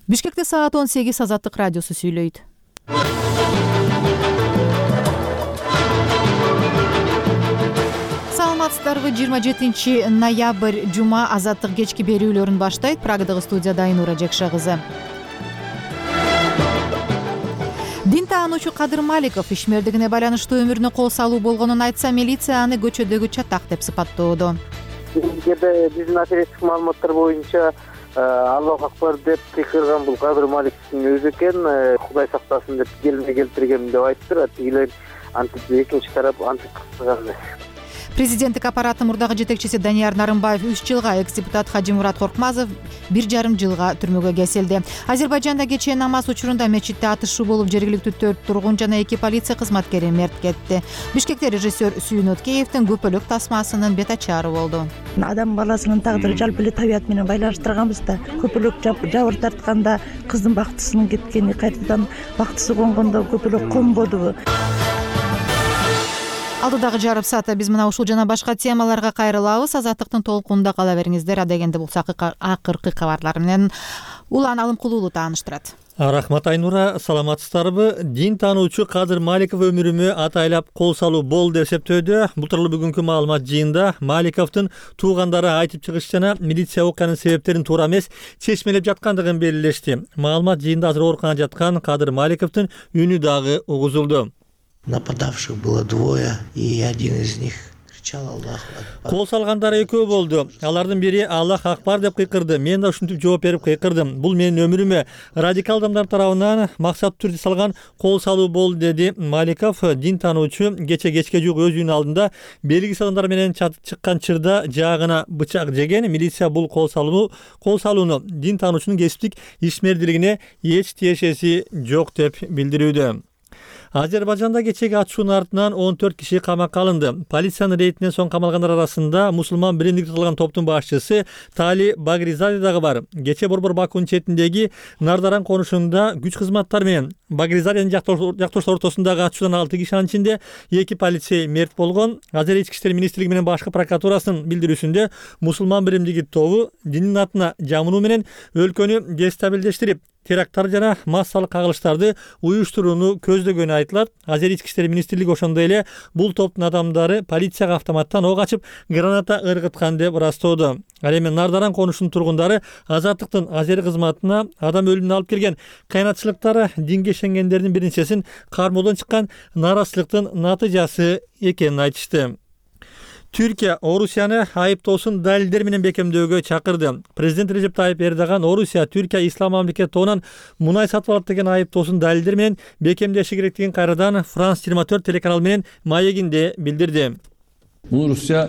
Бишкекте саат 18 Азаттык радиосу сүйлөйт. Саламатсыздарбы? 27 ноябрь жума Азаттык кечки берүүлөрүн баштайт. Прагадагы студияда Айнура Жекша кызы. Дин таануучу Кадыр Маликов ишмердигине байланыштуу өмүрүнө кол салуу болгонун айтса, милиция аны көчөдөгү чатак деп сыпаттоодо. Биздин оперативдик маалыматтар боюнча Аллах акбар деп кыйкырган бул Кадыр Маликовдун өзү экен. Кудай сактасын деп келине келтиргем деп айтты. Тигилер антип экинчи тарап антип кыйкырган эмес. Президенттик аппараттын мурдагы жетекчиси Данияр Нарымбаев 3 жылга, экс-депутат Хажимурат Коркмазов 1,5 жылга түрмөгө кесилди. Азербайжанда кечээ намаз учурунда мечитте атышуу болуп, жергиликтүү 4 тургун жана 2 полиция кызматкери мерт кетти. Бишкекте режиссер Сүйүн Өткеевдин көпөлөк тасмасынын бет ачары болду. Адам баласынын тагдыры жалпы эле табият менен байланыштырганбыз да. Көпөлөк жабыр тартканда кыздын бактысынын кеткени, кайтадан бактысы конгондо көпөлөк конбодубу? Алдыдагы жарым саатта биз мына ушул жана башка темаларга кайрылабыз. Азаттыктын толкунунда кала бериңиздер. Адегенде бул акыркы кабарлар менен Улан Алымкулуулу тааныштырат. Рахмат Айнура, саламатсыздарбы? Дин таануучу Кадыр Маликов өмүрүмө атайлап кол салуу болду деп эсептөөдө. Бул тууралуу бүгүнкү маалымат жыйында Маликовдун туугандары айтып чыгыш жана милиция окуянын себептерин туура эмес чечмелеп жаткандыгын белгилешти. Маалымат жыйында азыр ооруканада жаткан Кадыр Маликовдун үнү дагы угузулду. Нападавших было двое, и один из них кричал Аллах Акбар. Кол салгандар экөө болду. Алардын бири Аллах Акбар деп кыйкырды. Мен да ушинтип жооп берип кыйкырдым. Бул менин өмүрүмө радикал адамдар тарабынан максаттуу түрдө салган кол салуу болду, деди Маликов. Дин таануучу кечке жуук өз үйүнүн алдында белгисиз адамдар менен чыккан чырда жаагына бычак жеген. Милиция бул кол салууну дин таануучунун кесиптик ишмердилигине эч тиешеси жок деп билдирүүдө. Азербайжанда кечеги атышуунун артынан 14 киши камакка алынды. Полициянын рейдинен соң камалгандар арасында мусулман биримдиги кылган топтун башчысы Тали Багризаде дагы бар. Кече Борбор Бакунун четиндеги Нардаран конушунда күч кызматтары менен Багризаденин жактоштор ортосундагы атышуудан 6 кишинин ичинде 2 полицей мерт болгон. Азер ички иштер министрлиги менен башкы прокуратурасынын билдирүүсүндө мусулман биримдиги тобу диндин атына жамынуу менен өлкөнү дестабилдештирип, теракттар жана массалык кагылыштарды уюштурууну көздөгөнү айтылат. Азер ички иштер министрлиги ошондой эле бул топтун адамдары полицияга автоматтан ок ачып, граната ыргыткан деп ырастоодо. Ал эми Нардаран конушунун тургундары Азаттыктын Азер кызматына адам өлүмүнө алып келген кайнатчылыктары динге ишенгендердин биринчесин кармоодон чыккан нааразычылыктын натыйжасы экенин айтышты. Түркия Орусияны айыптоосун далилдер менен бекемдөөгө чакырды. Президент Режеп Тайип Эрдоган Орусия Түркия ислам мамлекети тобунан мунай сатып алат деген айыптоосун далилдер менен бекемдеши керектигин кайрадан Франс 24 телеканалы менен маегинде билдирди. Bunu Rusya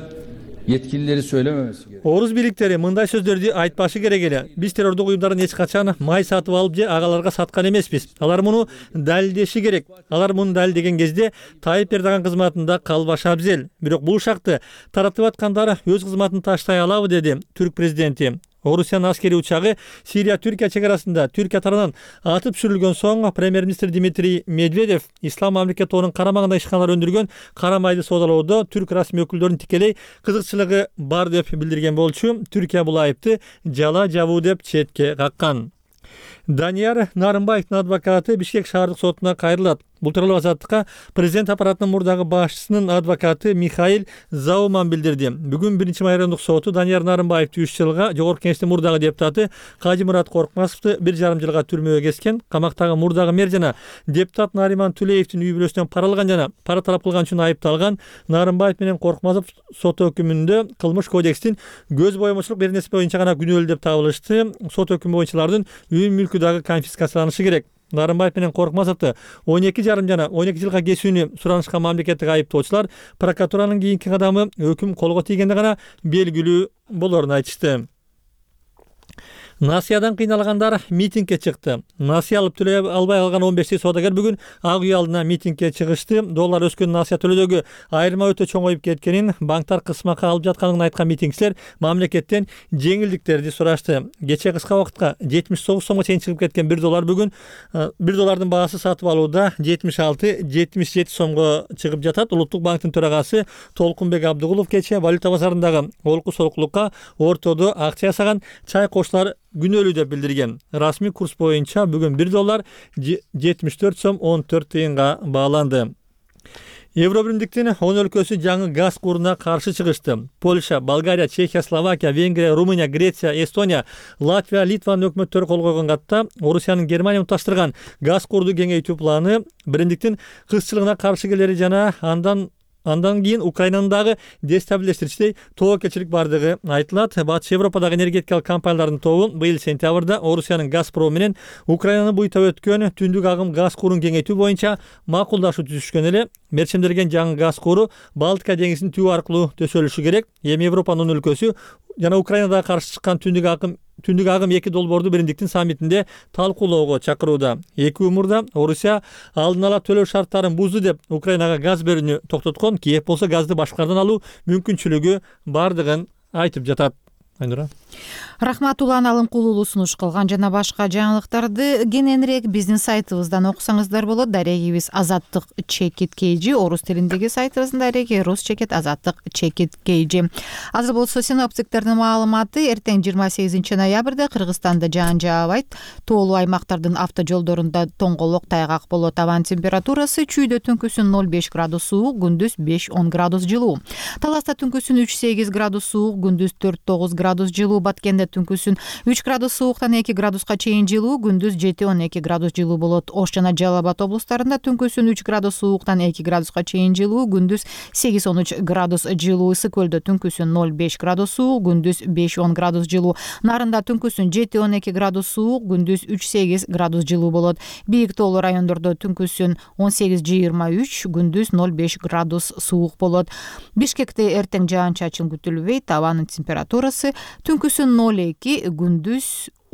yetkilileri söylememesi gerek. Орус бийликтери мындай сөздөрдү айтпашы керек эле. Биз террордук уюмдарын эч качан май сатып алып же агаларга саткан эмеспиз. Алар муну далилдеши керек. Алар муну далилдеген кезде Тайип Эрдоган кызматында калбашы абзел. Бирок бул шакты таратып аткандар өз кызматын таштай алабы, деди түрк президенти. Орусиянын аскери учагы Сирия-Түркия чегарасында Түркия тарабынан атып түшүрүлгөн соң премьер-министр Дмитрий Медведев ислам мамлекети тобунун карамагында ишканалар өндүргөн кара майды соодалоодо түрк расмий өкүлдөрүнүн тикелей кызыкчылыгы бар деп билдирген болчу. Түркия бул айыпты жала жабуу деп четке каккан. Данияр Нарымбаевдин адвокаты Бишкек шаардык сотуна кайрылат. Бул тууралуу Азаттыкка президент аппаратынын мурдагы башчысынын адвокаты Михаил Зауман билдирди. Бүгүн 1-майрандык соту Данияр Нарымбаевди 3 жылга, жогорку кеңештин мурдагы депутаты Хажимурат Коркмазовду 1,5 жылга түрмөгө кескен. Камактагы мурдагы мэр жана депутат Нариман Тулеевдин үй бүлөсүнөн пара алган жана пара талап кылган үчүн айыпталган Нарымбаев менен Коркмазов сот өкүмүндө кылмыш кодекстин көз боемочулук бир нерсе боюнча гана күнөөлүү деп табылышты. Сот өкүмү боюнча алардын үй мүлкү дагы конфискацияланышы керек. Нарымбаев менен Коркмазовду 12,5 жана 12 жылга кесүүнү суранышкан мамлекеттик айыптоочулар прокуратуранын кийинки кадамы өкүм колго тийгенде гана белгилүү болорун айтышты. Насиядан кыйналгандар митингге чыкты. Насия алып төлөй албай калган 15 соодагер бүгүн Ак үй алдына митингге чыгышты. Доллар өскөн насия төлөөдөгү айырма өтө чоңоюп кеткенин, банктар кысмакка алып жатканын айткан митингчилер мамлекеттен жеңилдиктерди сурашты. Кечээ кыска убакытка 79 сомго чейин чыгып кеткен $1 бүгүн $1 баасы сатып алууда 76-77 сомго чыгып жатат. Улуттук банктын төрагасы Толкунбек Абдыгулов кечээ валюта базарындагы олку солкулукка ортодо акча жасаган чай коштар күнөөлүү деп билдирген. Расмий курс боюнча бүгүн $1 74 сом 14 тыйынга бааланды. Евробиримдиктин 10 өлкөсү жаңы газ куруна каршы чыгышты. Польша, Болгария, Чехия, Словакия, Венгрия, Румыния, Греция, Эстония, Латвия, Литванын өкмөттөрү кол койгон катта Орусиянын Германия мукташтырган газ курду кеңейтүү планы биримдиктин кызчылыгына каршы келери жана андан кийин Украинаны дагы дестабилиздештирүүчү тобокелчилик бардыгы айтылат. Батыш Европадагы энергетикалык компаниялардын тобу быйыл сентябрда Орусиянын Газпром менен Украинаны буйтап өткөн түндүк агым газ курун кеңейтүү боюнча макулдашуу түзүшкөн эле. Мерчемделген жаңы газ куру Балтика деңизинин түбү аркылуу төсөлүшү керек. Эми Европанын өлкөсү жана Украинага каршы чыккан түндүк агым 2 долбоорду биримдиктин саммитинде талкуулоого чакырууда. Эки умурда Орусия алдын ала төлөө шарттарын бузду деп Украинага газ берүүнү токтоткон. Киев болсо газды башкадан алуу мүмкүнчүлүгү бардыгын айтып жатат. Айнура. Рахмат, Улан Алымкулуулу сунуш кылган. Жана башка жаңылыктарды кененирээк биздин сайтыбыздан окусаңыздар болот. Дарегибиз Азаттык чекит KG, орус тилиндеги сайтыбыздын дареги рус чекит Азаттык чекит KG. Азыр болсо синоптиктердин маалыматы: эртең 28 ноябрда Кыргызстанда жаан жаабайт. Тоолуу аймактардын автожолдорунда тоңголок, тайгак болот. Абанын температурасы чүйдө түнкүсүн 0,5 градус суук, күндүз 5-10 градус жылуу. Таласта түнкүсүн 3-8 градус суук, күндүз 4-9 градус жылуу. Баткенде түнкүсүн 3 градус сууктан 2 градуска чейин жылуу, күндүз 7-12 градус жылуу болот. Ош жана Жалал Абад облустарында түнкүсүн 3 градус сууктан 2 градуска чейин жылуу, күндүз 8-13 градус жылуу. Ысык көлдө түнкүсүн 0,5 градус суук, күндүз 5-10 градус жылуу. Нарында түнкүсүн 7-12 градус суук, күндүз 3-8 градус жылуу болот. Бийик тоолуу райондордо түнкүсүн 18-23, күндүз 0,5 градус суук болот. Бишкекте эртең жаан-чачын күтүлбөйт. Абанын температурасы түнкүсүн 0,2, күндүз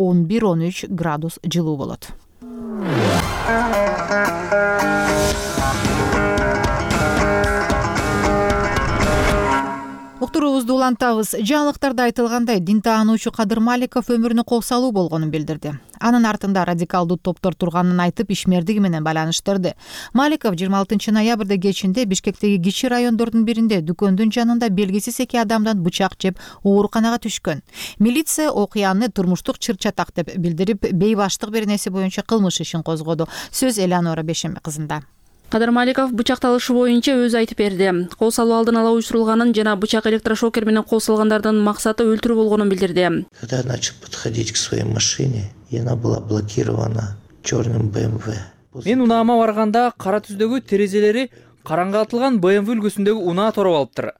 11-13 градус жылуу болот. Уктуруубузду улантабыз. Жаңылыктарда айтылгандай, дин таануучу Кадыр Маликов өмүрүнө кол салуу болгонун билдирди. Анын артында радикалдуу топтор турганын айтып, ишмердиги менен байланыштырды. Маликов 26 ноябрда кечинде Бишкектеги кичи райондордун биринде дүкөндүн жанында белгисиз 2 адамдан бычак жеп ооруканага түшкөн. Милиция окуяны турмуштук чыр-чатак деп билдирип, бейбаштык беренеси боюнча кылмыш ишин козгоду. Сөз Элеонора Бешембе кызында. Кадыр Маликов бычакталышы боюнча өзү айтып берди. Кол салуу алдын ала уюштурулганын жана бычак электрошокер менен кол салгандардын максаты өлтүрүү болгонун билдирди. Когда я начал подходить к своей машине, и она была блокирована черным BMW. Мен унаама барганда кара түздөгү терезелери караңгатылган BMW үлгүсүндөгү унаа тороп алыптыр.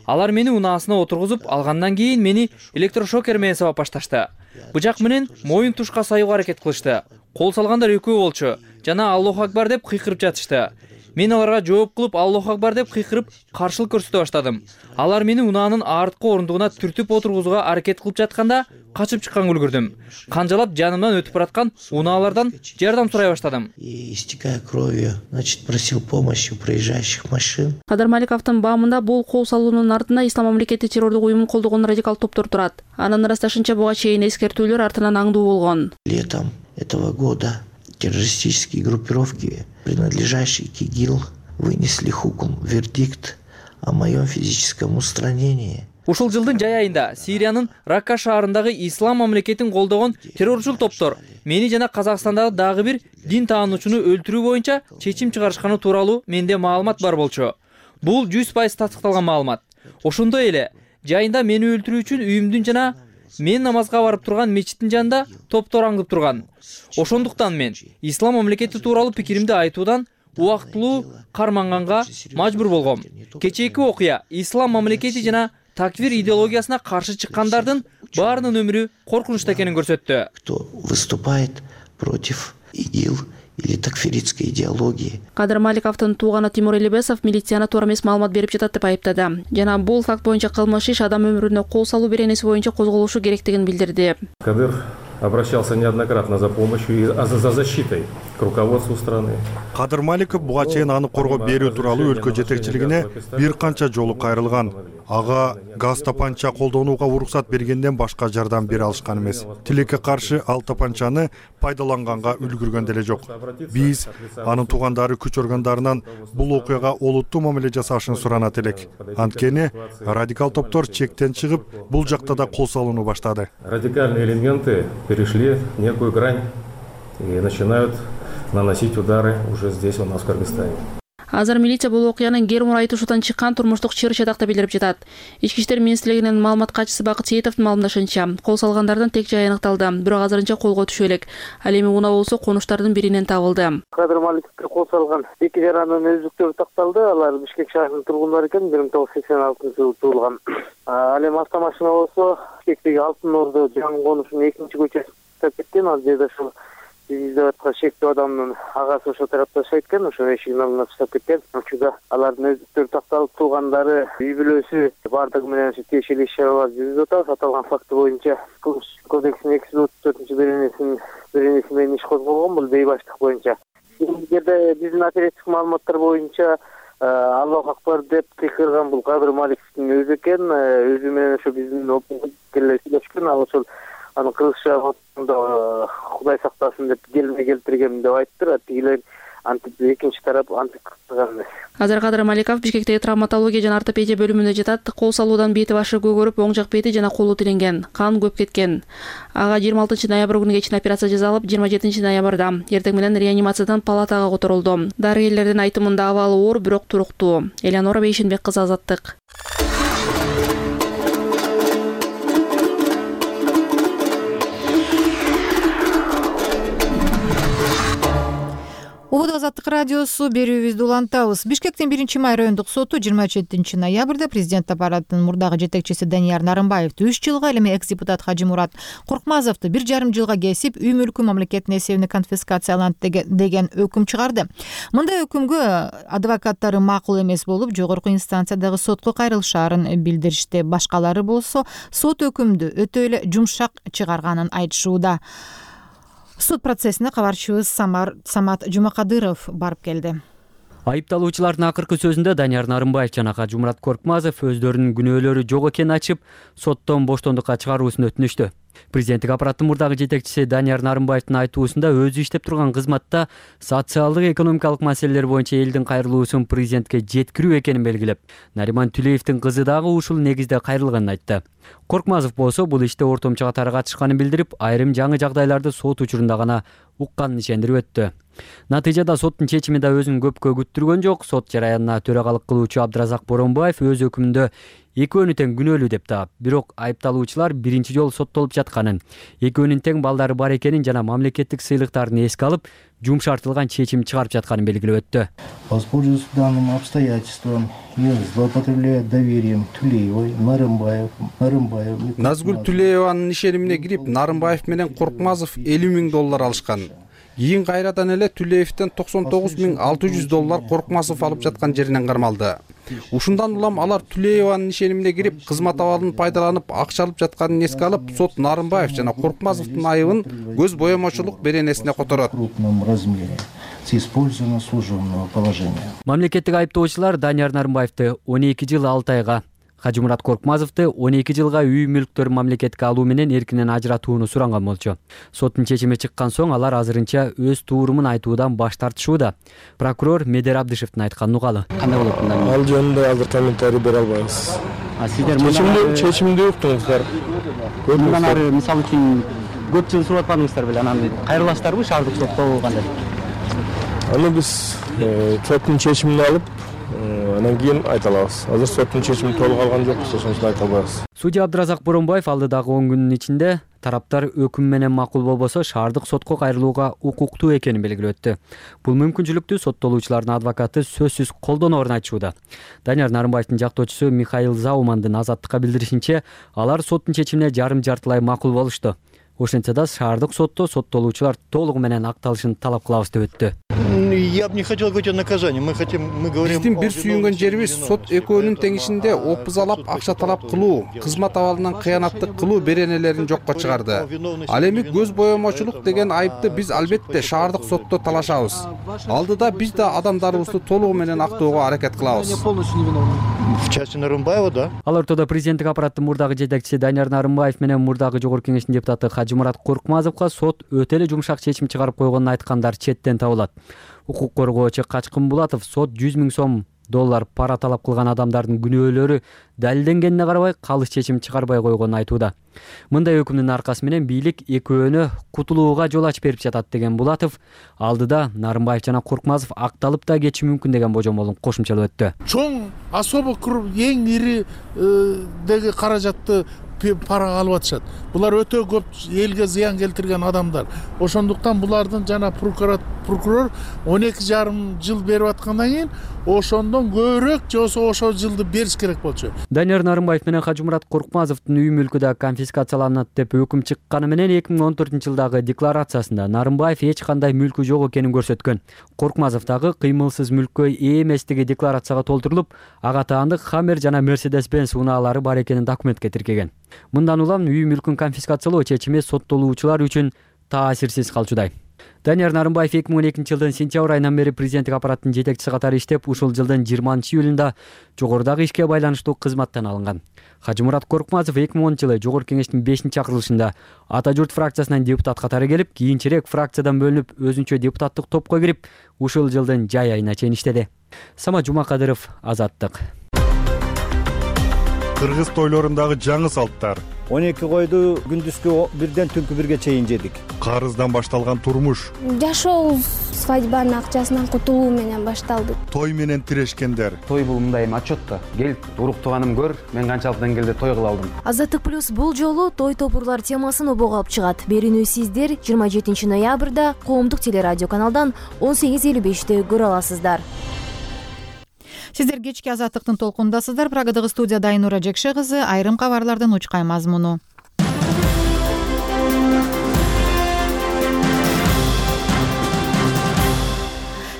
Алар мени унаасына отургузуп алгандан кийин мени электрошокер менен сабап башташты. Бычак менен моюн тушка саюуга аракет кылышты. Кол салгандар экөө болчу жана Аллаху акбар деп кыйкырып жатышты. Мен аларга жооп кылып Аллаху акбар деп кыйкырып каршылык көрсөтө баштадым. Алар мени унаанын арткы орундугуна түртүп отургузууга аракет кылып жатканда качып чыкканга үлгүрдүм. Канжалап жанымдан өтүп бараткан унаалардан жардам сурай баштадым. И истекая кровью, значит, просил помощи у проезжающих машин. Кадыр Маликовдун баамында бул кол салуунун артында Ислам мамлекети террордук уюмун колдогон радикал топтор турат. Анын ырасташынча буга чейин эскертүүлөр артынан аңдуу болгон. Летом этого года террористические группировки, принадлежащие к ИГИЛ, вынесли вердикт о моем физическом устранении. Ушул жылдын жай айында Сириянын Ракка шаарындагы Ислам мамлекетин колдогон террорчул топтор мени жана Казакстандагы дагы бир дин таануучуну өлтүрүү боюнча чечим чыгарышканы тууралуу менде маалымат бар болчу. Бул 100% тастыкталган маалымат. Ошондой эле жайында мени өлтүрүү үчүн үйүмдүн жана мен намазга барып турган мечиттин жанында топтор аңдып турган. Ошондуктан мен Ислам мамлекети тууралуу пикиримди айтуудан убактылуу карманганга мажбур болгом. Кечээки окуя Ислам мамлекети жана таквир идеологиясына каршы чыккандардын баарынын өмүрү коркунучта экенин көрсөттү. Кто выступает против ИГИЛ или такфиритской идеологии. Кадыр Маликовдун тууганы Тимур Элибесов милицияны туура эмес маалымат берип жатат деп айыптады. Жана бул факт боюнча кылмыш иш адам өмүрүнө кол салуу беренеси боюнча козголушу керектигин билдирди. Кадыр обращался неоднократно за помощью и за защитой к руководству страны. Кадыр Маликов буга чейин аны коргоп берүү тууралуу өлкө жетекчилигине бир канча жолу кайрылган. Ага газ тапанча колдонууга уруксат бергенден башка жардам бере алышкан эмес. Тилекке каршы ал тапанчаны пайдаланганга үлгүргөн деле жок. Биз анын туугандары күч органдарынан бул окуяга олуттуу мамиле жасашын суранат элек. Анткени радикал топтор чектен чыгып, бул жакта да кол салууну баштады. Радикальные элементы перешли некую грань и начинают наносить удары уже здесь, у нас в Кыргызстане. Азыр милиция бул окуянын кер мурайтышуудан чыккан турмуштук чыр чатакта билдирип жатат. Ички иштер министрлигинин маалымат катчысы Бакыт Сейитовдун маалымдашынча, кол салгандардын тек жайы аныкталды, бирок азырынча колго түшө элек. Ал эми унаа болсо конуштардын биринен табылды. Кадыр Маликовго кол салган эки жаранын өздүктөрү такталды. Алар Бишкек шаарынын тургундары экен, 1986-жылы туулган. Ал эми автомашина болсо Бишкектеги Алтын Ордо жаңы конушунун 2-көчөсүнө кеткен. Ал жерде ошол биздеп аткан шектүү адамдын агасы ошол тарапта жашайт экен, ошо эшигин алдына чыгып кеткен. Учурда алардын өздүктөрү такталып, туугандары үй бүлөсү бардыгы менен тиешелүү иш-чаралар жүргүзүп атабыз. Аталган факты боюнча Кылмыш кодексинин 234-беренеси менен иш козголгон, бул бейбаштык боюнча. Эгерде биздин оперативдик маалыматтар боюнча Аллах акбар деп кыйкырган бул Кадыр Маликовдун өзү экен, өзү менен ошо биздин окуяга сүйлөшкөн, ал ошол анын кыргызча Кудай сактасын деп келме келтирген деп айтты. Тигилер антип экинчи тарап антип кылган эмес. Азыр Кадыр Маликов Бишкектеги травматология жана ортопедия бөлүмүндө жатат. Кол салуудан бети башы көгөрүп, оң жак бети жана колу тиленген, кан көп кеткен. Ага 26 ноябрь күнү кечин операция жасалып, 27 ноябрда эртең менен реанимациядан палатага которулду. Дарыгерлердин айтымында абалы оор, бирок туруктуу. Элеонора Бейшенбек кызы, Азаттык. Убуд Азаттык радиосу, берүүбүздү улантабыз. Бишкектин 1-май райондук соту 27 ноябрда президент аппаратынын мурдагы жетекчиси Данияр Нарымбаевди 3 жылга, эми экс-депутат Хажимурат Коркмазовду 1,5 жылга кесип, үй мүлкү мамлекеттин эсебине конфискацияланат деген өкүм чыгарды. Мындай өкүмгө адвокаттары макул эмес болуп, жогорку инстанциядагы сотко кайрылышаарын билдиришти. Башкалары болсо сот өкүмдү өтө эле жумшак чыгарганын айтышууда. Суд процессине кабарчыбыз Самат Жумакадыров барып келди. Айыпталуучулардын акыркы сөзүндө Данияр Нарымбаев жана Хажимурат Коркмазов өздөрүнүн күнөөлөрү жок экенин ачып, соттон боштондукка чыгаруусун өтүнүштү. Президенттик аппараттын мурдагы жетекчиси Данияр Нарымбаевдин айтуусунда өзү иштеп турган кызматта социалдык экономикалык маселелер боюнча элдин кайрылуусун президентке жеткирүү экенин белгилеп, Нариман Түлеевдин кызы дагы ушул негизде кайрылганын айтты. Коркмазов болсо бул иште ортомчу катары катышканын билдирип, айрым жаңы жагдайларды сот учурунда гана укканын ишендирип өттү. Натыйжада соттун чечими да өзүн көпкө күттүргөн жок. Сот жараянына төрагалык кылуучу Абдыразак Боронбаев өз өкүмүндө экөөнү тең күнөөлүү деп таап, бирок айыпталуучулар биринчи жолу соттолуп жатканын, экөөнүн тең балдары бар экенин жана мамлекеттик сыйлыктарын эске алып, жумшартылган чечим чыгарып жатканын белгилеп өттү. Воспользуясь данным обстоятельством и злоупотребляя доверием Тулеевой, Нарымбаев. Назгүл Тулееванын ишенимине кирип, Нарымбаев менен Коркмазов $50,000 алышкан. Кийин кайрадан эле Түлеевден $99,600 Коркмазов алып жаткан жеринен кармалды. Ушундан улам алар Түлееванын ишенимине кирип, кызмат абалын пайдаланып, акча алып жатканын эске алып, сот Нарымбаев жана Коркмазовдун айыбын көз боемочулук беренесине которот. Мамлекеттик айыптоочулар Данияр Нарымбаевди 12 жыл 6 айга, Хажимурат Коркмазовду 12 жылга үй мүлктөрүн мамлекетке алуу менен эркинен ажыратууну суранган болчу. Соттун чечими чыккан соң алар азырынча өз туурумун айтуудан баш тартышууда. Прокурор Медер Абдышевдин айтканын угалы. Кандай болот мындан? Ал жөнүндө азыр комментарий бере албайбыз. Сиздер чечимди уктуңуздар. Мындан ары мисалы үчүн көп жыл сурап атканыңыздар беле, анан кайрыласыздарбы шаардык сотто кандай? Аны биз соттун чечимин алып, анан кийин айта алабыз. Азыр соттун чечими толук алган жокпуз, ошондо айта албайбыз. Судья Абдыразак Боронбаев алдыдагы 10 күнүн ичинде тараптар өкүм менен макул болбосо шаардык сотко кайрылууга укуктуу экенин белгилеп өттү. Бул мүмкүнчүлүктү соттолуучулардын адвокаты сөзсүз колдоноорун айтышууда. Данияр Нарымбаевдин жактоочусу Михаил Заумандын Азаттыкка билдиришинче, алар соттун чечимине жарым-жартылай макул болушту. Ошентсе да шаардык сотто соттолуучулар толугу менен акталышын талап кылабыз деп өттү. Я бы не хотел говорить о наказании. Мы говорим. Биздин бир сүйүнгөн жерибиз сот экөөнүн тең ишинде опузалап, акча талап кылуу, кызмат абалынан кыянаттык кылуу беренелерин жокко чыгарды. Ал эми көз боемочулук деген айыпты биз албетте шаардык сотто талашабыз. Алдыда биз да адамдарыбызды толугу менен актоого аракет кылабыз. В части Нарымбаева, да? Ал ортодо президенттик аппараттын мурдагы жетекчиси Данияр Нарымбаев менен мурдагы Жогорку Кеңештин депутаты Хажымурат Коркмазовго сот өтө эле жумшак чечим чыгарып койгонун айткандар четтен табылат. Укук коргоочу Качкын Булатов сот 100 000 сом пара талап кылган адамдардын күнөөлөрү далилденгенине карабай калыс чечим чыгарбай койгонун айтууда. Мындай өкүмдүн аркасы менен бийлик экөөнү кутулууга жол ачып берип жатат деген Булатов алдыда Нарымбаев жана Коркмазов акталып да кетиши мүмкүн деген божомолун кошумчалап өттү. Чоң особо эң ири деги каражатты парага алып атышат. Булар өтө көп элге зыян келтирген адамдар. Ошондуктан булардын жана прокурор 12,5 жыл берип аткандан кийин ошондон көбүрөөк же болбосо ошол жылды бериш керек болчу. Данияр Нарымбаев менен Хажымурат Коркмазовдун үй мүлкү да конфискацияланат деп өкүм чыкканы менен 2014-жылдагы декларациясында Нарымбаев эч кандай мүлкү жок экенин көрсөткөн. Коркмазов дагы кыймылсыз мүлккө ээ эместиги декларацияга толтурулуп, ага таандык Хаммер жана Mercedes-Benz унаалары бар экенин документке тиркеген. Мындан улам үй мүлкүн конфискациялоо чечими соттолуучулар үчүн таасирсиз калчудай. Данияр Нарымбаев 2012-жылдын сентябрь айынан бери президенттик аппараттын жетекчиси катары иштеп, ушул жылдын 20-июлунда жогорудагы ишке байланыштуу кызматтан алынган. Хажымурат Коркмазов 2010-жылы Жогорку Кеңештин 5-чакырылышында Ата журт фракциясынан депутат катары келип, кийинчерээк фракциядан бөлүнүп, өзүнчө депутаттык топко кирип, ушул жылдын жай айына чейин иштеди. Самат Жумакадыров, Азаттык. Кыргыз тойлорундагы жаңы салттар. 12 койду күндүзгү 1ден түнкү 1ге чейин жедик. Карыздан башталган турмуш. Жашообуз свадьбанын акчасынан кутулуу менен башталды. Той менен тирешкендер. Той бул мындай отчет да. Кел, уруктуганым көр, мен канчалык деңгээлде той кыла алдым. Азаттык плюс бул жолу той топурлар темасын обого алып чыгат. Берүүнү сиздер 27 ноябрда коомдук телерадио каналдан 18:55 көрө аласыздар. Сиздер кечки Азаттыктын толкундасыздар. Прагадагы студияда Айнура Жекше кызы, айрым кабарлардын учкай мазмуну.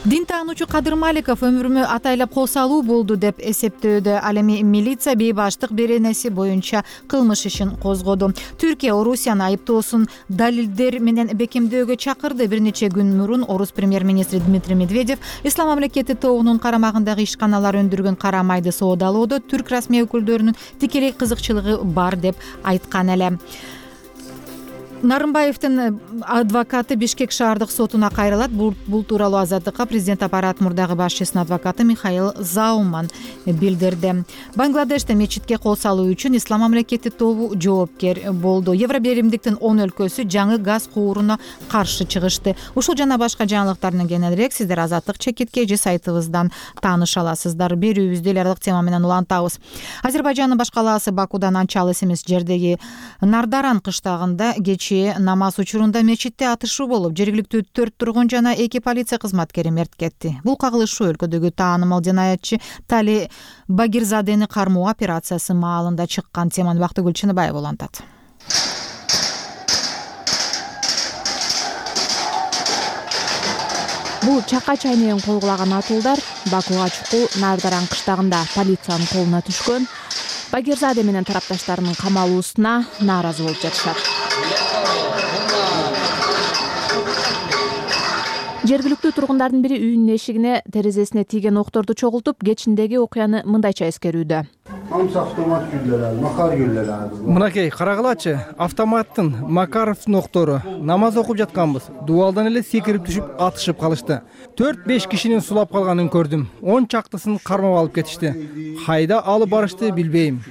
Дин таануучу Кадыр Маликов өмүрүмө атайлап кол салуу болду деп эсептөөдө. Ал эми милиция бейбаштык беренеси боюнча кылмыш ишин козгоду. Түркия Орусияны айыптоосун далилдер менен бекемдөөгө чакырды. Бир нече күн мурун Орус премьер-министри Дмитрий Медведев Ислам мамлекети тобунун карамагындагы ишканалар өндүргөн кара майды соодалоодо түрк расмий өкүлдөрүнүн тикелей кызыкчылыгы бар деп айткан эле. Нарымбаевдин адвокаты Бишкек шаардык сотуна кайрылат. Бул тууралуу Азаттыкка президент аппарат мурдагы башчысынын адвокаты Михаил Зауман билдирди. Бангладеште мечитке кол салуу үчүн Ислам мамлекети тобу жоопкер болду. Евробиримдиктин 10 өлкөсү жаңы газ кууруна каршы чыгышты. Ушул жана башка жаңылыктардан кененирээк сиздер Азаттык чекитке же сайтыбыздан тааныша аласыздар. Берүүбүздү эл аралык тема менен улантабыз. Азербайжандын баш калаасы Бакудан анча алыс эмес жердеги Нардаран кыштагында намаз учурунда мечитте атышуу болуп, жергиликтүү 4 тургун жана 2 полиция кызматкери мерт кетти. Бул кагылышуу өлкөдөгү таанымал жинаятчы Тали Багирзадени кармоо операциясы маалында чыккан. Теманы Бактыгүл Чыныбаева улантат. Бул чакка чай менен койгулаган атуулдар Бакуга чукул Нардаран кыштагында полициянын колуна түшкөн. Багирзаде менен тарапташтарынын камалуусуна нааразы болуп жатышат. Жергиликтүү тургундардын бири үйүнүн эшигине терезесине тийген окторду чогултуп, кечиндеги окуяны мындайча эскерүүдө. Мынакей, карагылачы, автоматтын Макаровдун октору. Намаз окуп жатканбыз. Дубалдан эле секирип түшүп атышып калышты. 4-5 кишинин сулап калганын көрдүм. 10 чактысын кармап алып кетишти. Кайда алып барышты билбейм.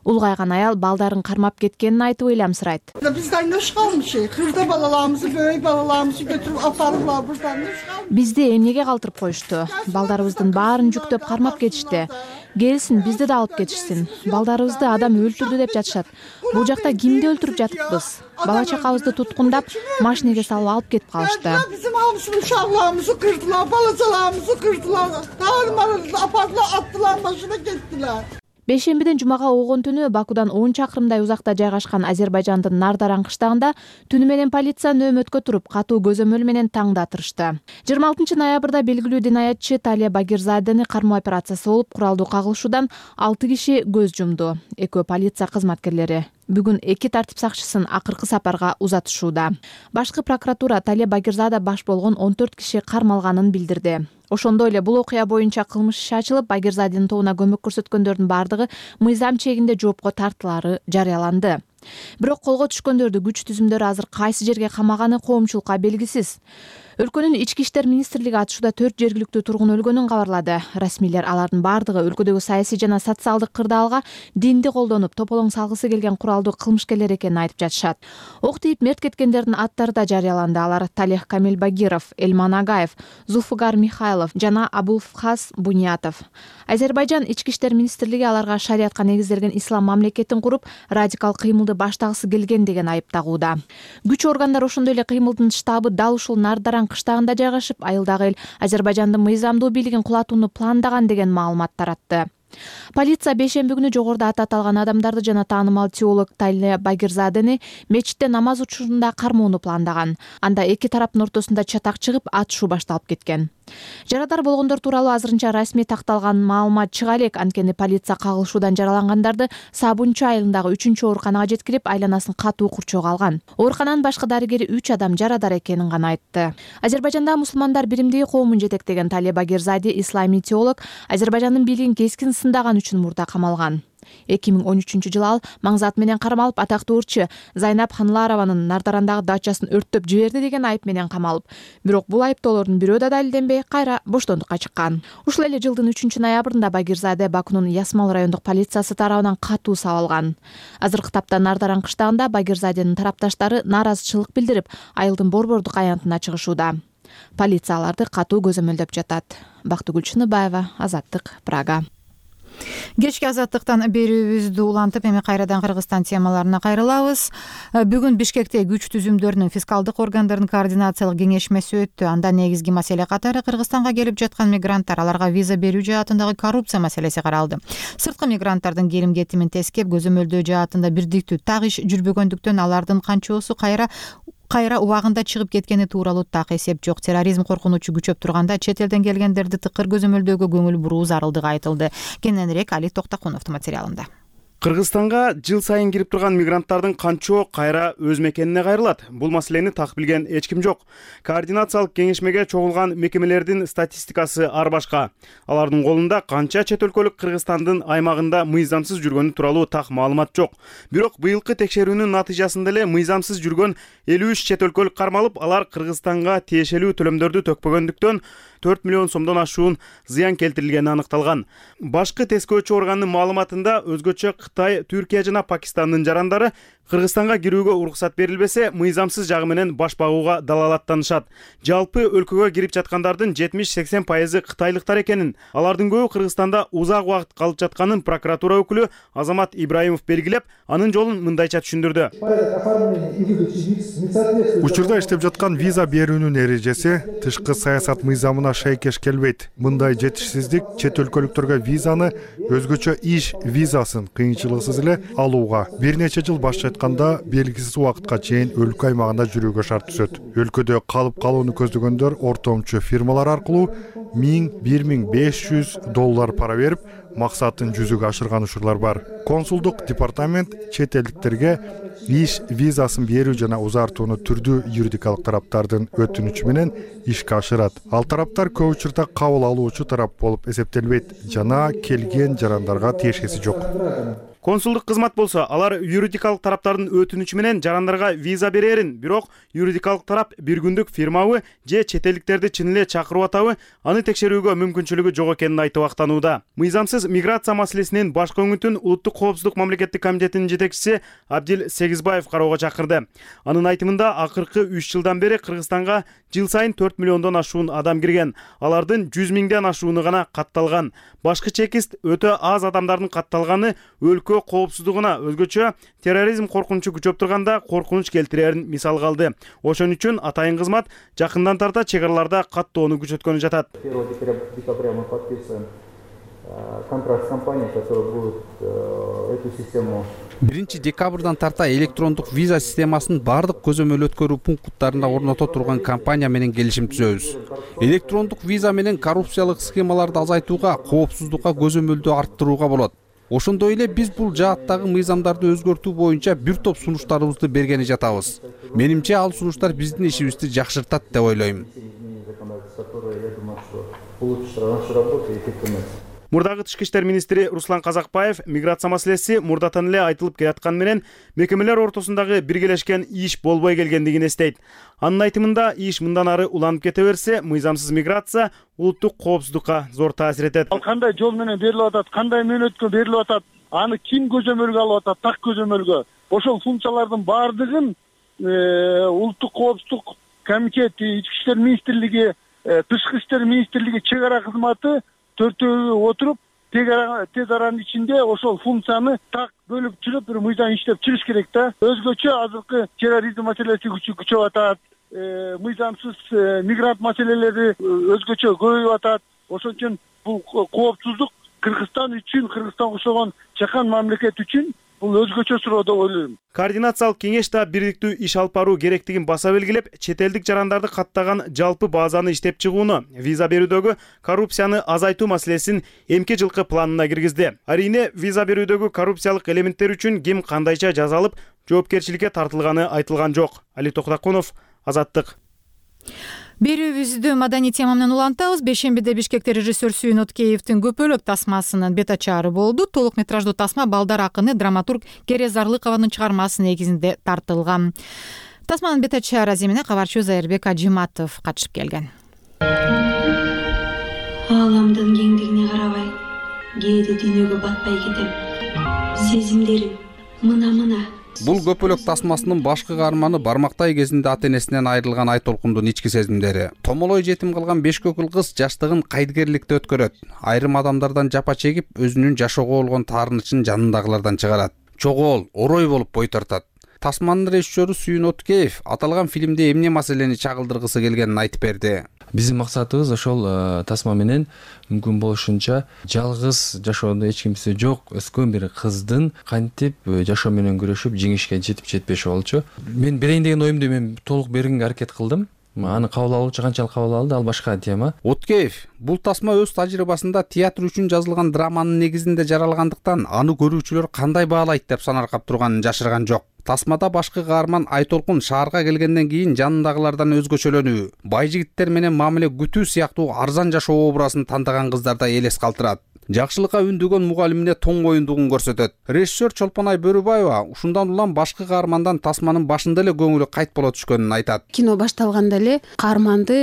Улгайган аял балдарын кармап кеткенин айтып ыйламсырайт. Биз дайнош калмышы, кырда балаларыбызды, бөй балаларыбызды көтүрүп апарыплар бурдан. Бизди эмнеге калтырып коюшту? Балдарыбыздын баарын жүктөп кармап кетишти. Келсин, бизди да алып кетишсин. Балдарыбызды адам өлтүрдү деп жатышат. Бул жакта кимди өлтүрүп жатыппыз? Бала чакабызды туткундап, машинеге салып алып кетип калышты. Bizim hamısını uşaqlarımızı kırdılar, balacalarımızı kırdılar. Dağılmalarını apardılar, attılar, başına gittiler. Бейшембиден жумага огон түнү Бакудан 10 чакырымдай узакта жайгашкан Азербайжандын Нардаран кыштагында түнү менен полиция нөөмөткө туруп, катуу көзөмөл менен таңдатырышты. 26 ноябрда белгилүү динаятчы Талия Багирзадени кармоо операциясы болуп, куралдуу кагылышуудан 6 киши көз жумду. Экөө полиция кызматкерлери. Бүгүн 2 тартип сакчысын акыркы сапарга узатышууда. Башкы прокуратура Талия Багирзада баш болгон 14 киши кармалганын билдирди. Ошондой эле бул окуя боюнча кылмыш иши ачылып, Багирзаденин тобуна көмөк көрсөткөндөрдүн бардыгы мыйзам чегинде жоопко тартылары жарыяланды. Бирок колго түшкөндөрдү күч түзүмдөрү азыр кайсы жерге камаганы коомчулукка белгисиз. Өлкөнүн ички иштер министрлиги атышууда 4 жергиликтүү тургун өлгөнүн кабарлады. Расмийлер алардын бардыгы өлкөдөгү саясий жана социалдык кырдаалга динди колдонуп, тополоң салгысы келген куралдуу кылмышкерлер экенин айтып жатышат. Ок тийип мерт кеткендердин аттары да жарыяланды. Алар Талех Камил Багиров, Элман Агаев, Зулфугар Михайлов жана Абулфхас Буниятов. Азербайжан ички иштер министрлиги аларга шариатка негизделген ислам мамлекетин куруп, радикал кыймылды баштагысы келген деген айып тагууда. Күч органдары ошондой эле кыймылдын штабы дал ушул Нардаран кыштагында жайгашып, айылдагы эл Азербайжандын мыйзамдуу бийлигин кулатууну пландаган деген маалымат таратты. Полиция бейшемби күнү жогоруда аты аталган адамдарды жана таанымал теолог Талия Багирзадени мечитте намаз учурунда кармоону пландаган. Анда эки тараптын ортосунда чатак чыгып, атышуу башталып кеткен. Жарадар болгондор тууралуу азырынча расмий такталган маалымат чыга элек, анткени полиция кагылышуудан жаралангандарды Сабунчу айылындагы 3-чү ооруканага жеткирип, айланасын катуу курчоого алган. Оорукананын башкы дарыгери 3 адам жарадар экенин гана айтты. Азербайжанда мусулмандар биримдиги коомун жетектеген Талия Багирзаде, исламий теолог, Азербайжандын бийлигин кескин сындаган үчүн мурда камалган. 2013-жылы ал маңзат менен кармалып, атактуу ырчы Зайнап Ханларованын Нардарандагы дачасын өрттөп жиберди деген айып менен камалып. Бирок бул айыптоолордун бирөө да далилденбей, кайра боштондукка чыккан. Ушул эле жылдын 3 ноябрында Багирзаде Бакунун Ясмал райондук полициясы тарабынан катуу сабалган. Азыркы тапта Нардаран кыштагында Багирзаденин тарапташтары нааразычылык билдирип, айылдын борбордук аянтына чыгышууда. Полиция аларды катуу көзөмөлдөп жатат. Бактыгүл Чыныбаева, Азаттык, Прага. Кечки Азаттыктан берүүбүздү улантып, эми кайрадан Кыргызстан темаларына кайрылабыз. Бүгүн Бишкекте күч түзүмдөрүнүн фискалдык органдардын координациялык кеңешмеси өттү. Анда негизги маселе катары Кыргызстанга келип жаткан мигранттар, аларга виза берүү жаатындагы коррупция маселеси каралды. Сырткы мигранттардын келим-кетимин тескеп, көзөмөлдөө жаатында бирдиктүү так иш жүрбөгөндүктөн алардын канчоосу кайра убагында чыгып кеткени тууралуу так эсеп жок. Терроризм коркунучу күчөп турганда чет элден келгендерди тыкыр көзөмөлдөөгө көңүл буруу зарылдыгы айтылды. Кененирээк Али Токтокуновдун материалында. Кыргызстанга жыл сайын кирип турган мигранттардын канчоо кайра өз мекенине кайрылат? Бул маселени так билген эч ким жок. Координациялык кеңешмеге чогулган мекемелердин статистикасы ар башка. Алардын колунда канча чет өлкөлүк Кыргызстандын аймагында мыйзамсыз жүргөнү тууралуу так маалымат жок. Бирок быйылкы текшерүүнүн натыйжасында эле мыйзамсыз жүргөн 53 чет өлкөлүк кармалып, алар Кыргызстанга тиешелүү төлөмдөрдү төкпөгөндүктөн 4 миллион сомдон ашуун зыян келтирилгени аныкталган. Башкы тескөөчү органдын маалыматында өзгөчө Кытай, Түркия жана Пакистандын жарандары Кыргызстанга кирүүгө уруксат берилбесе, мыйзамсыз жагы менен баш багууга далалаттанышат. Жалпы өлкөгө кирип жаткандардын 70-80% кытайлыктар экенин, алардын көбү Кыргызстанда узак убакыт калып жатканын прокуратура өкүлү Азамат Ибраимов белгилеп, анын жолун мындайча түшүндүрдү. Учурда иштеп жаткан виза берүүнүн эрежеси тышкы саясат мыйзамына шайкеш келбейт. Мындай жетишсиздик чет өлкөлүктөргө визаны, өзгөчө иш визасын кыйынчылыксыз эле алууга бир нече жыл баш айтканда белгисиз убакытка чейин өлкө аймагында жүрүүгө шарт түзөт. Өлкөдө калып калууну көздөгөндөр ортомчу фирмалар аркылуу 1000–1500 доллар пара берип, максатын жүзүгө ашырган учурлар бар. Консулдук департамент чет элдиктерге иш визасын берүү жана узартууну түрдүү юридикалык тараптардын өтүнүчү менен ишке ашырат. Ал тараптар көп учурда кабыл алуучу тарап болуп эсептелбейт жана келген жарандарга тиешеси жок. Консулдук кызмат болсо, алар юридикалык тараптардын өтүнүчү менен жарандарга виза берерин, бирок юридикалык тарап бир күндүк фирмабы же чет элдиктерди чын эле чакырып атабы, аны текшерүүгө мүмкүнчүлүгү жок экенин айтып актанууда. Мыйзамсыз миграция маселесинин башкы өңүтүн Улуттук коопсуздук мамлекеттик комитетинин жетекчиси Абдил Сегизбаев кароого чакырды. Анын айтымында, акыркы 3 жылдан бери Кыргызстанга жыл сайын 4 миллиондон ашуун адам кирген. Алардын 100 миңден ашууну гана катталган. Башкы чекист өтө аз адамдардын катталганы өлкө коопсуздугуна, өзгөчө терроризм коркунучу күчөп турганда коркунуч келтирерин мисал калды. Ошон үчүн атайын кызмат жакындан тарта чек араларда каттоону күчөткөнү жатат. контракт с компанией, которая будет эту систему. 1 декабрдан тарта электрондук виза системасын бардык көзөмөл өткөрүү пункттарында орното турган компания менен келишим түзөбүз. Электрондук виза менен коррупциялык схемаларды азайтууга, коопсуздукка көзөмөлдү арттырууга болот. Ошондой эле биз бул жааттагы мыйзамдарды өзгөртүү боюнча бир топ сунуштарыбызды бергени жатабыз. Менимче ал сунуштар биздин ишибизди жакшыртат деп ойлойм. Мурдагы тышкы иштер министри Руслан Казакбаев миграция маселеси мурдатан эле айтылып келаткан менен мекемелер ортосундагы биргелешкен иш болбой келгендигин эстейт. Анын айтымында иш мындан ары уланып кете берсе, мыйзамсыз миграция улуттук коопсуздукка зор таасир этет. Ал кандай жол менен берилип атат, кандай мөөнөткө берилип атат, аны ким көзөмөлгө алып атат, так көзөмөлгө. Ошол функциялардын бардыгын улуттук коопсуздук комитети, ички иштер министрлиги, тышкы иштер министрлиги, чек ара кызматы төртөө отуруп тез аранын ичинде ошол функцияны так бөлүп чыгып бир мыйзам иштеп чыгыш керек да. Өзгөчө азыркы терроризм маселеси күчөп атат, мыйзамсыз мигрант маселелери өзгөчө көбөйүп атат. Ошон үчүн бул коопсуздук Кыргызстан үчүн, Кыргызстанга окшогон чакан мамлекет үчүн бул өзгөчө суроо деп ойлойм. Координациялык кеңеш да бириктүү иш алып баруу керектигин баса белгилеп, чет элдик жарандарды каттаган жалпы базаны иштеп чыгууну, виза берүүдөгү коррупцияны азайтуу маселесин эмки жылкы планына киргизди. Арийне виза берүүдөгү коррупциялык элементтер үчүн ким кандайча жазалып, жоопкерчиликке тартылганы айтылган жок. Али Токтакунов, Азаттык. Берүүбүздү маданий тема менен улантабыз. Бешембиде Бишкекте режиссер Сүйүн Откеевдин Көпөлөк тасмасынын бет ачаары болду. Толук метраждуу тасма балдар акыны драматург Кере Зарлыкованын чыгармасы негизинде тартылган. Тасманын бет ачаары аземине кабарчы Зайырбек Ажиматов катышып келген. Ааламдын кеңдигине карабай, кээде дүйнөгө батпай кетем. Сезимдерим мына. Бул Көпөлөк тасмасынын башкы каарманы бармактай кезинде ата энесинен айрылган Айтолкундун ички сезимдери. Томолой жетим калган 5 көкүл кыз жаштыгын кайдыгерликте өткөрөт. Айрым адамдардан жапа чегип, өзүнүн жашоого болгон таарынычын жанындагылардан чыгарат. Чогол, орой болуп бой тартат. Тасманын режиссеру Сүйүн Откеев аталган фильмде эмне маселени чагылдыргысы келгенин айтып берди. Биздин максатыбыз ошол тасма менен мүмкүн болушунча жалгыз жашоодо эч кимиси жок өскөн бир кыздын кантип жашоо менен күрөшүп жеңишке жетип жетпеши болчу. Мен берейин деген оюмду мен толук бергенге аракет кылдым. Аны кабыл алуучу канчалык кабыл алды, ал башка тема. Откеев бул тасма өз тажрыйбасында театр үчүн жазылган драманын негизинде жаралгандыктан аны көрүүчүлөр кандай баалайт деп санаркап турганын жашырган жок. Тасмада башкы каарман Айтолкун шаарга келгенден кийин жанындагылардан өзгөчөлөнүү, бай жигиттер менен мамиле күтүү сыяктуу арзан жашоо образын тандаган кыздарда элес калтырат. Жакшылыкка үндөгөн мугалимине тоң моюндугун көрсөтөт. Режиссер Чолпонай Бөрүбаева ушундан улам башкы каармандан тасманын башында эле көңүлү кайт боло түшкөнүн айтат. Кино башталганда эле каарманды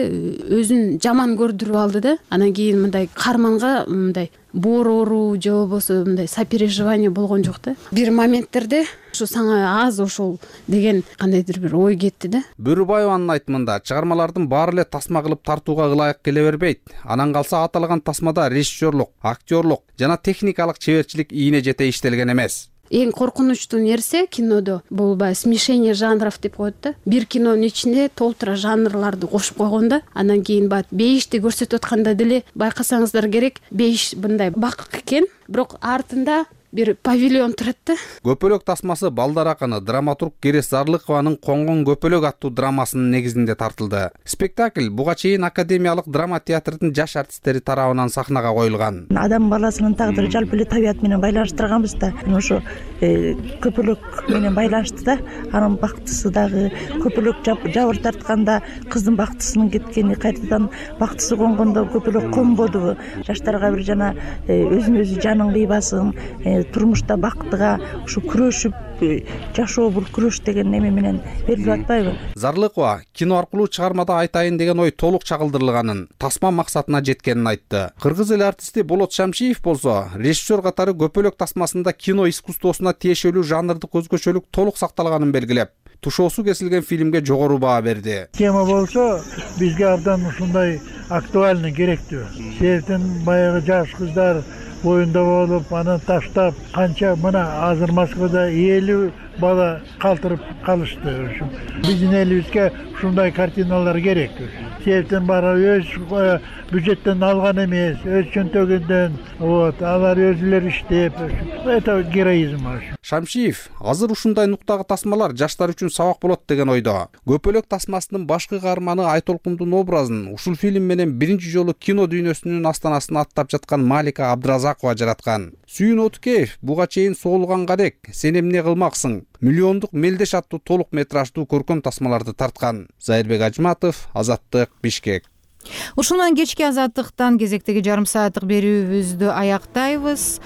өзүн жаман көрдүрүп алды да. Анан кийин мындай каарманга мындай боороо же болбосо мындай сопереживание болгон жок да. Бир моменттерде ушу сага аз ошол деген кандайдыр бир ой кетти да. Бөрүбаеванын айтымында чыгармалардын баары эле тасма кылып тартууга ылайык келе бербейт. Анан калса аталган тасмада режиссерлук, актерлук жана техникалык чеберчилик ийине жете иштелген эмес. Эң коркунучтуу нерсе кинодо бул смешение жанров деп коет да. Бир кинонун ичинде толтура жанрларды кошуп койгон да. Анан кийин бейишти көрсөтүп атканда деле байкасаңыздар керек, бейиш мындай бакык экен, бирок артында бир павильон турат да. Көпөлөк тасмасы балдар акыны драматург Кере Зарлыкованын Коңгон көпөлөк аттуу драмасынын негизинде тартылды. Спектакль буга чейин Академиялык драма театрдын жаш артисттери тарабынан сахнага коюлган. Адам баласынын тагдыры жалпы эле табият менен байланыштырганбыз да. Ошо көпөлөк менен байланышты да. Анын бактысы дагы көпөлөк жабыр тартканда кыздын бактысынын кеткени, кайтадан бактысы конгондо көпөлөк конбоду. Жаштарга бир жана өзүн өзү жаның кыйбасын, турмушта бактыга ушу күрөшүп жашоо бул күрөш деген неме менен берилип атпайбы? Зарлыкова кино аркылуу чыгармада айтайын деген ой толук чагылдырылганын, тасма максатына жеткенин айтты. Кыргыз эл артисти Болот Шамшиев болсо, режиссер катары Көпөлөк тасмасында кино искусствосуна тиешелүү жанрдык өзгөчөлүк толук сакталганын белгилеп, тушоосу кесилген фильмге жогору баа берди. Тема болсо бизге абдан ушундай актуальный керектүү. Себептен баягы жаш кыздар боюнда болуп, аны таштап, канча мына азыр Москвада 50 бала калтырып калышты. Биздин элибизге ушундай картиналар керек. Себептен баары өз бюджеттен алган эмес, өз чөнтөгүндөн, алар өзүлөрү иштеп, это героизм. Шамшиев азыр ушундай нуктагы тасмалар жаштар үчүн сабак болот деген ойдо. Көпөлөк тасмасынын башкы каарманы Айтолкундун образын ушул фильм менен биринчи жолу кино дүйнөсүнүн астанасына аттап жаткан Малика Абдыразакова жараткан. Сүйүн Отукеев буга чейин Соолуганга дек, Сен эмне кылмаксың, Миллиондук мелдеш аттуу толук метраждуу көркөм тасмаларды тарткан. Зайырбек Ажматов, Азаттык, Бишкек. Ушун менен кечки Азаттыктан кезектеги жарым сааттык берүүбүздү аяктайбыз.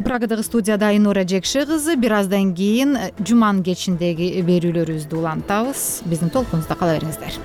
Прагадагы студияда Айнура Жекши кызы. Бир аздан кийин жуманын кечиндеги берүүлөрүбүздү улантабыз. Биздин толкунубузда кала бериңиздер.